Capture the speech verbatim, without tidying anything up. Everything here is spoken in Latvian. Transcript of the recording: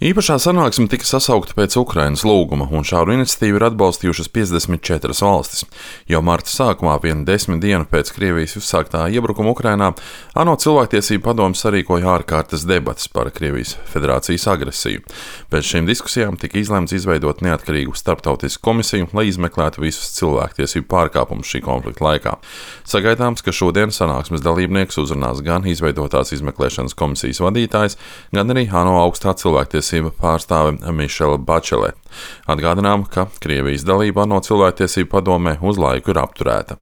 Īpašā sanāksme tika sasaukta pēc Ukrainas lūguma, un šādu iniciatīvu ir atbalstījušas piecdesmit četras valstis. Jau marta sākumā, vienu desmit dienu pēc Krievijas uzsāktā iebrukuma Ukrainā, ANO cilvēktiesību padome sarīkoja ārkārtas debates par Krievijas federācijas agresiju. Pēc šīm diskusijām tika izlemts izveidot neatkarīgu starptautisku komisiju, lai izmeklētu visus cilvēktiesību pārkāpumus šī konflikta laikā. Sagaidāms, ka šodien sanāksmes dalībnieks uzrunās gan izveidotās izmeklēšanas komisijas vadītājs, gan arī ANO augstā cilvēktiesību pārstāve Mišela Bačele. Atgādinām, ka Krievijas dalība ANO cilvēktiesību padomē uz laiku ir apturēta.